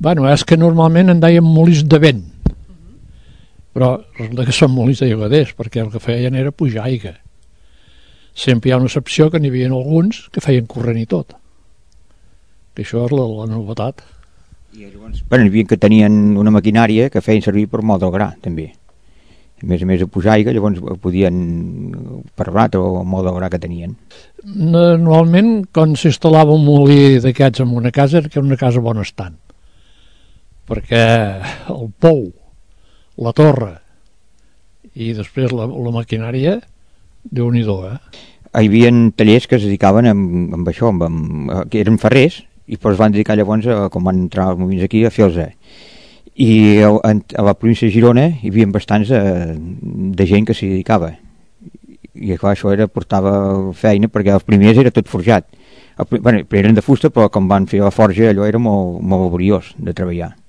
Bueno, és que normalment en deien molins de vent, però resulta que són molins de llogaders, perquè el que feien era pujar aigua. Sempre hi ha una excepció que n'hi havia alguns que feien corrent i tot, que això és la novetat. I llavors, bueno, hi havia que tenien una maquinària que feien servir per moldre el gra, també. A més de pujar aigua, llavors podien per blat o moldre el gra que tenien. Normalment, quan s'instal·lava un molí d'aquests en una casa, era una casa bonestant, perquè el pou, la torre i després la maquinària, Déu-n'hi-do, Hi havia tallers que es dedicaven amb això, que eren ferrers, i però es van dedicar llavors, com van entrar els moviments aquí, a fer-los. I a la província de Girona hi havia bastants de gent que s'hi dedicava. I clar, això portava feina, perquè els primers era tot forjat. Bueno, eren de fusta, però com van fer la forja, allò era molt laboriós de treballar.